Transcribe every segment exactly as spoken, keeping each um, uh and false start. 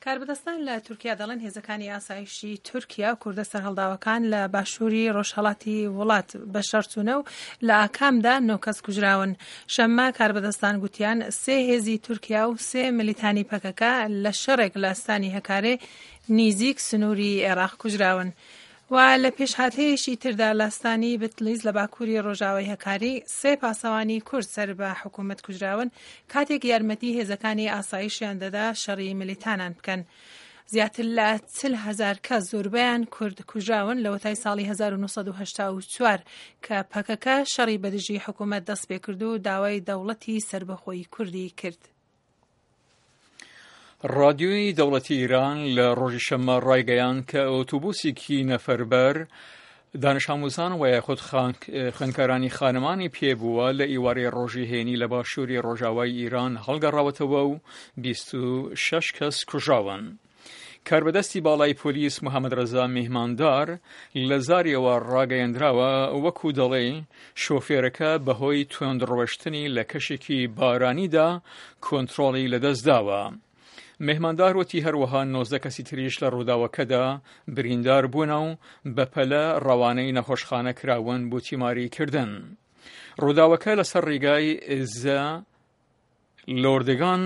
کاربەدەستان لە تورکیا دەڵێن هێزەکانی ئاسایشی تورکیا و کوردە سەرهەڵداوەکان لە باشووری ڕۆژهەڵاتی وڵات بەشەڕچوونە و لە ئاکامدا نۆ کەس کوژراون. شەممە کاربەدەستان گوتیان سێ هێزی تورکیا و سێ ملیتانی پەکەکە لە شەڕێک لە ئەستانی هەکارێ نیزیک سنووری عێراق کوژراون. و لە پێشهاتەیەکی تردا لە ئەستانی بتلیس لە باکووری ڕۆژاوای هەکاری سێ پاسەوانی کورد سەر بە حکوومەت کوژراون کاتێک یارمەتی هێزەکانی ئاسایشیان دەدا شەڕی ملیتانان بکەن. زیاتر لە چل هەزار کەس زۆربەیان کورد کوژراون لەوەتای ساڵی هەزار و نۆ سەد و هەشتا و چوار کە پەکەکە شەڕی بەدژی حکوومەت دەست پێکرد و داوای دەوڵەتی سەربەخۆی کوردی کرد. ڕادیۆی دەوڵەتی ئیران لە ڕۆژی شەممە ڕایگەیاند کە ئۆتۆبوسێکی نەفەربەر دانش ئاموزان و یاخود خوێندکارانی خانمانی پێبووە لە ئیوارەی ڕۆژی هێنی لە باشووری ڕۆژاوای ئیران هەڵگەڕاوەتەوە و بیست و شەش کەس کوژراون. کاربەدەستی باڵای پۆلیس محەممەد ڕەزا میهماندار لە زاریەوە ڕاگەیەندراوە وەکو دەڵێ شۆفێرەکە بەهۆی توندڕۆشتنی لە کەشێکی بارانیدا کۆنترۆڵی لەدەستداوە. مهماندار وتی هەروەها نۆزدە کەسی تریش لە ڕووداوەکەدا بریندار بوونە و بەپەلە ڕەوانەی نەخۆشخانە کراون بۆ تیماریکردن. ڕووداوەکە لەسەر ڕێگای زە لۆردگان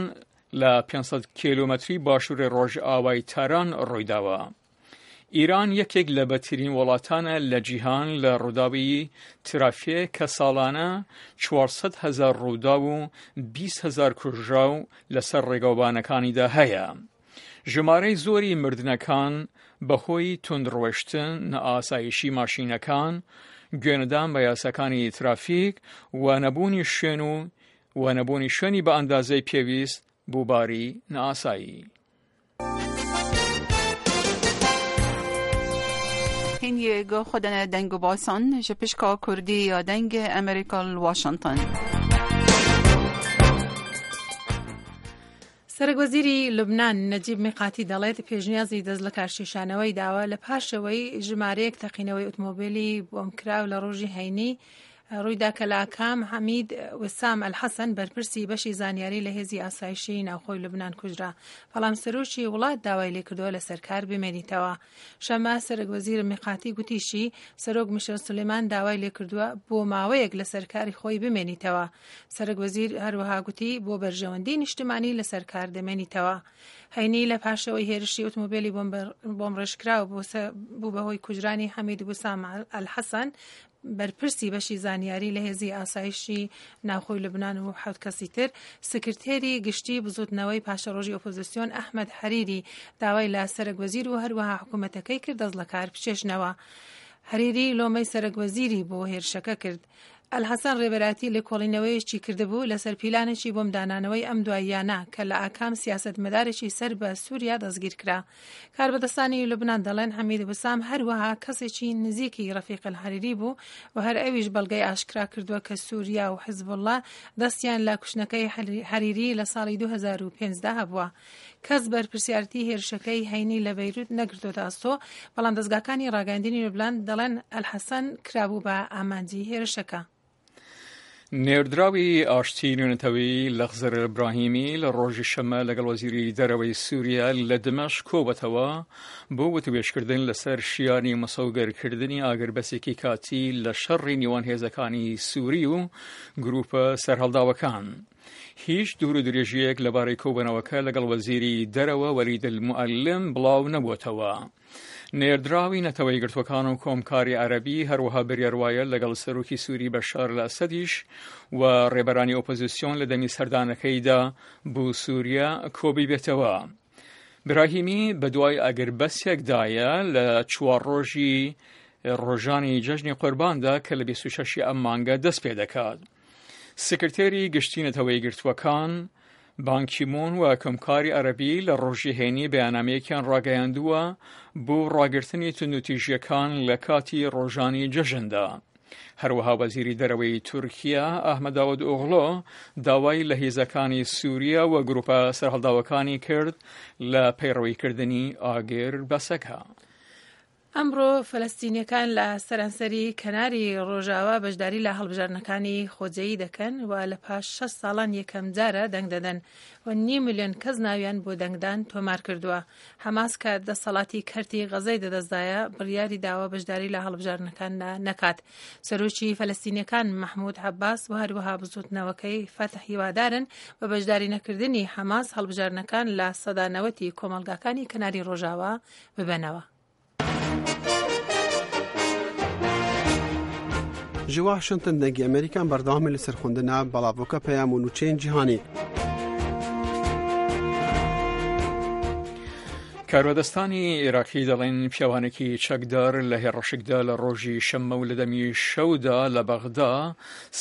لە پێنج سەد کیلۆمەتری باشووری ڕۆژئاوای تاران ڕوویداوە. ئیران یەکێک لە بەدترین وڵاتانە لە جیهان لە ڕووداوی ترافیک کە ساڵانە چوار سەد هەزار ڕووداو و بیست هەزار کوژراو لەسەر ڕێگاوبانەکانیدا هەیە. ژمارەی زۆری مردنەکان بەهۆی توندڕۆشتن، نائاسایشی ماشینەکان، گوێنەدان بە یاساکانی ترافیک و نەبوونی شوێن و و نەبوونی شوێنی بە ئەندازەی پێویست بۆ باری نائاسایی. هین گو خودن دنگ و باسان جپشکا کردی یا دنگ امریکا واشنگتن. سەرۆک وەزیری لوبنان نەجیب میقاتی دەڵێت پێشنیازی دەست لە کارکێشانەوەی داوە لە پاشەوەی ژمارەیەک تەقینەوەی ئۆتۆمۆبیلی بۆمکراو لە ڕۆژی هەینی ڕوویدا کە لە ئاکام حەمید وسام ئەلحەسەن بەرپرسی بەشی زانیاری لە هێزی ئاسایشی ناوخۆی لوبنان کوژرا، بەڵام سەرۆکی وڵات داوای لێکردووە لەسەر کار بمێنیتەوە. شەمە سەرۆک وەزیر میقاتی گوتیشی سەرۆک میشێل سولەیمان داوای لێکردووە بۆ ماوەیەک لەسەر کاری خۆی بمێنیتەوە. سەرۆک وەزیر هەروەها گوتی بۆ بەرژەوەندی نیشتمانی لەسەر کار دەمێنیتەوە. هەینی لە پاشەوەی هێرشی ئۆتۆمۆبیلی بۆمڕێژکراو بوو بەهۆی کوژرانی حەمید وسام ئەلحەسەن بەرپرسی بەشی زانیاری لە هێزی ئاسایشی ناوخۆی لوبنان و حەوت کەسی تر، سکرتێری گشتی بزوتنەوەی پاشەڕۆژی ئۆپۆزیسیۆن ئەحمەد حەریری داوای لە سەرۆک وەزیر و هەروەها حکوومەتەکەی کرد دەست لە کار بچێژنەوە. حەریری لۆمەی سەرۆک وەزیری بۆ هێرشەکە کرد. ئەلحەسەن ڕێبەراتی لێکۆڵینەوەیەکی کردبوو لەسەر پیلانێکی بۆمدانانەوەی ئەم دواییانە کە لە ئاکام سیاسەتمەدارێکی سەر بە سووریا دەستگیر کرا. کاربەدەستانی لوبنان دەڵێن حەمید وسام هەروەها کەسێکی نزیکی ڕەفیق الحەریری بوو و هەر ئەویش بەڵگەی ئاشکرا کردووە کە سووریا و حزبوڵڵا دەستیان لە کوشتنەکەی حەریری لە ساڵی دوو هەزار و پێنج دا هەبووە. کەس بەرپرسیارەتی هێرشەکەی هەینی لە بەیروت نەگرتۆتە ئەستۆ، بەڵام دەستگاکانی ڕاگەیاندنی لوبنان دەڵێن ئەلحەسەن کرابوو بە ئامانجی هێرشەکە. نێردراوی ئاشتی نوێنەتەوەی لەخزر ئیبراهیمی لە ڕۆژی شەممە لەگەڵ وەزیری دەرەوەی سووریا لە دمەشق کۆبەتەوە بۆ وتوێژکردن لەسەر شیانی مسۆگەرکردنی ئاگربەسێکی کاتی لە شەڕی نێوان هێزەکانی سووری و گروپە سەرهەڵداوەکان. هیچ دوور و درێژیەک لەبارەی کۆبوونەوەکە لەگەڵ وەزیری دەرەوە وەلید المعلم بڵاو نەبووەتەوە. نێردراوی نەتەوە یەکگرتووەکان و کۆمکاری عەرەبی هەروەها بڕیار وایە لەگەڵ سەرۆکی سووری بەشار ئەسەدیش و ڕێبەرانی ئۆپۆزیسیۆن لە دەمی سەردانەکەیدا بۆ سووریا کۆبی بێتەوە. براهیمی بەدوای ئەگەربەسێکدایە لە چوار ڕۆژی ڕۆژانی جەژنی قورباندا کە لە بیست و شەش ئەم مانگە دەست پێ دەکات. سکرتێری گشتی نەتەوە یەکگرتووەکان بانکیمون و کۆمکاری عەرەبی لە ڕۆژی هێنی بەیاننامەیەکیان ڕاگەیاندووە بۆ ڕاگرتنی توندوتیژیەکان لە کاتی ڕۆژانی جەژندا. هەروەها وەزیری دەرەوەی تورکیا ئەحمەد داود ئۆغلۆ داوای لە هێزەکانی سووریا و گروپە سەرهەڵداوەکانی کرد لە پەیڕەویکردنی ئاگر بەسەکە. ئەمڕۆ فەلەستینیەکان لە سەرانسەری کەناری ڕۆژاوا بەشداری لە هەڵبژاردنەکانی خۆجێیی دەکەن و لە پاش شەش ساڵان یەکەم جارە دەنگ دەدەن و نیو ملیۆن کەس ناویان بۆ دەنگدان تۆمار کردووە. حەماس کە دەسەڵاتی کەرتی غەزەی دەدەستدایە بڕیاری داوە بەشداری لە هەڵبژاردنەکاندا نەکات. سەرۆکی فەلەستینیەکان مەحمود عەباس و هەروەها بزوتنەوەکەی فەتح هیوادارن بە بەشداری نەکردنی حەماس هەڵبژاردنەکان لە سەدا نەوەتی کۆمەڵگاکانی کەناری ڕۆژاوا ببەنەوە. Ji Washington dengê Amerîkan berdewamê li ser xwendina belavoka peyam û nûçeyên cîhanî. کاربەدەستانی عێراقی دەڵێن پیاوانێکی چەکدار لە هێڕشێکدا لە ڕۆژی شەممە و لە دەمی شەودا لە بەغدا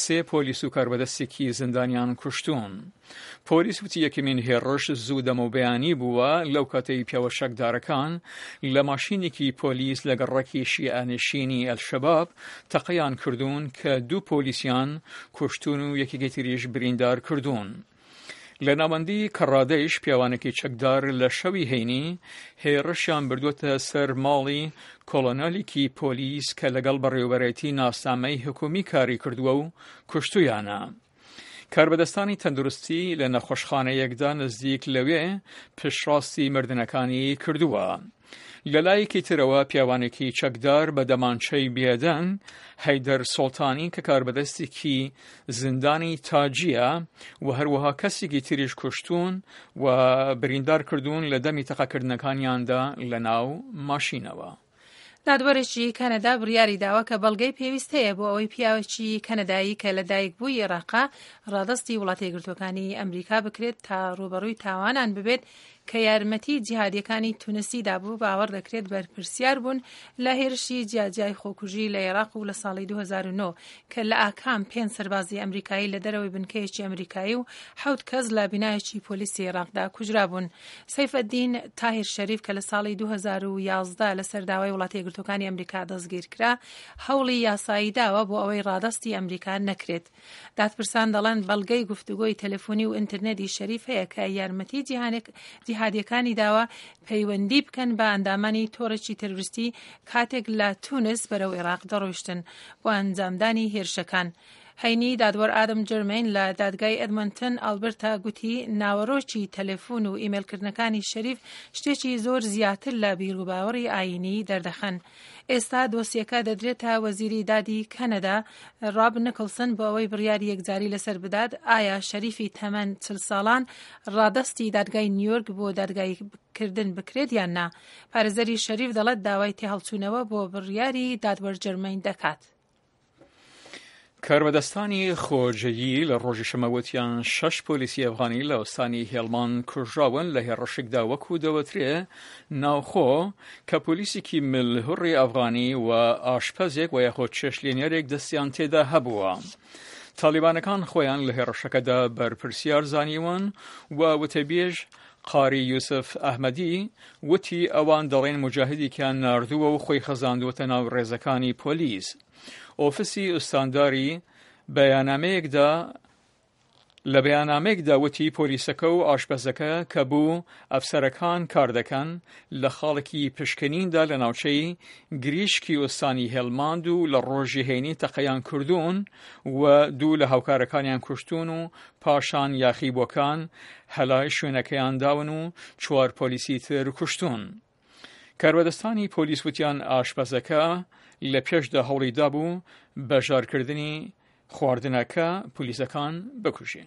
سێ پۆلیس و کاربەدەستێکی زیندانیان کوشتون. پۆلیس وتی یەکەمین هێڕش زوو دەمەوبەیانی بووە لەو کاتەی پیاوە چەکدارەکان لە ماشینێکی پۆلیس لە گەڕەکی شیعەنشینی ئەلشەباب تەقەیان کردوون کە دوو پۆلیسیان کوشتون و یەکێکی تریش بریندار کردوون. لە ناوەندی کەڕادەیش پیاوانێکی چەکدار لە شەوی هەینی هێڕشیان بردووەتە سەر ماڵی کۆڵۆنێلێکی پۆلیس کە لەگەڵ بەڕێوەبەرێتی ناسنامەی حکومی کاری کردووە و کوشتویانە. کاربەدەستانی تەندروستی لە نەخۆشخانەیەکدا نزیک لەوێ پشتڕاستی مردنەکانی کردووە. لە لایەکی ترەوە پیاوانێکی چەکدار بە دەمانچەی بێدەنگ هەیدەر سوڵتانی کە کاربەدەستێکی زیندانی تاجیە و هەروەها کەسێکی تریش کوشتون و بریندار کردوون لە دەمی تەقەکردنەکانیاندا لە ناو ماشینەوە. دادوەرێکی کەنەدا بڕیاری داوە کە بەڵگەی پێویست هەیە بۆ ئەوەی پیاوێکی کەنەدایی کە لەدایک بووی عێراقا ڕادەستی وڵاتە یەکگرتووەکانی ئەمریکا بکرێت تا ڕووبەڕووی تاوانان ببێت کە یارمەتی جیهادیەکانی تونسی دابوو. باوەڕ دەکرێت بەرپرسیار بوون لە هێرشی جیاجیای خۆکوژی لە عێراق و لە ساڵی دوو هەزار و نۆ کە لە ئاکام پێنج سەربازی ئەمریکایی لە دەرەوەی بنکەیەکی ئەمریکایی و حەوت کەس لە بینایەکی پۆلیسی عێراقدا کوژرابوون. سەیفەدین تاهیر شەریف کە لە ساڵی دوو هەزار و یازدە لەسەر داوای وڵاتە یەکگرتووەکانی ئەمریکا دەستگیر کرا هەوڵی یاسایی داوە بۆ ئەوەی ڕادەستی ئەمریکا نەکرێت. دادپرسان دەڵێن بەڵگەی گفتوگۆی تەلەفۆنی و ئینتەرنێتی شەریف هەیە کە یارمەتی جیهادیەکانی داوە پەیوەندی بکەن بە ئەندامانی تۆڕێکی تەرۆریستی کاتێک لە تونس بەرەو عێراق دەڕۆیشتن بۆ ئەنجامدانی هێرشەکان. هەینی دادوەر ئادەم جەرمەین لە دادگای ئەدمنتن ئالبرتا گوتی ناوەڕۆکی تەلەفۆن و ئیمەیلکردنەکانی شەریف شتێکی زۆر زیاتر لە بیروباوەڕی ئایینی دەردەخەن. ئێستا دۆسیەکە دەدرێتە وەزیری دادی کەنەدا ڕاب نیکلسن بۆ ئەوەی بڕیاری یەکجاری لەسەر بدات ئایا شەریفی تەمەن چل ساڵان ڕادەستی دادگای نیویۆرک بۆ دادگاییکردن بکرێت یان نا. پارێزەری شەریف دەڵێت داوای تێهەڵچوونەوە بۆ بڕیاری دادوەر جەرمەین دەکات. کاربەدەستانی خۆجێیی لە ڕۆژی شەممە وتیان شەش پۆلیسی ئەفغانی لە ئوستانی هێڵمان کوژراون لە هێڕشێکدا وەکو دەوترێ ناوخۆ کە پۆلیسێکی ملهوڕی ئەفغانی و ئاشپەزێک و یاخۆ چێشلێنەرێک دەستیان تێدا هەبووە. تالیبانەکان خۆیان لە هێڕشەکەدا بەرپرسیار زانیون و وتەبێژ قاری یوسف ئەحمەدی وتی ئەوان دەڵێن مجاهدێکیان ناردووە و خۆی خەزاندووەتە ناو ڕێزەکانی پۆلیس. ئۆفیسی ئوستانداری بەیاننامەیەکدا لە بەیاننامەیەکدا وتی پۆلیسەکە و ئاشپەزەکە کە بوو ئەفسەرەکان کار دەکەن لە خاڵێکی پشکنیندا لە ناوچەی گریشکی ئوستانی هێلماند و لە ڕۆژی هەینی تەقەیان کردوون و دوو لە هاوکارەکانیان کوشتون و پاشان یاخیبووەکان هەلای شوێنەکەیان داون و چوار پۆلیسی تر کوشتون. کاربەدەستانی پۆلیس وتیان ئاشپەزەکە لە پێشدا هەوڵی دابوو بەژارکردنی خواردنەکە پۆلیسەکان بکوژێ.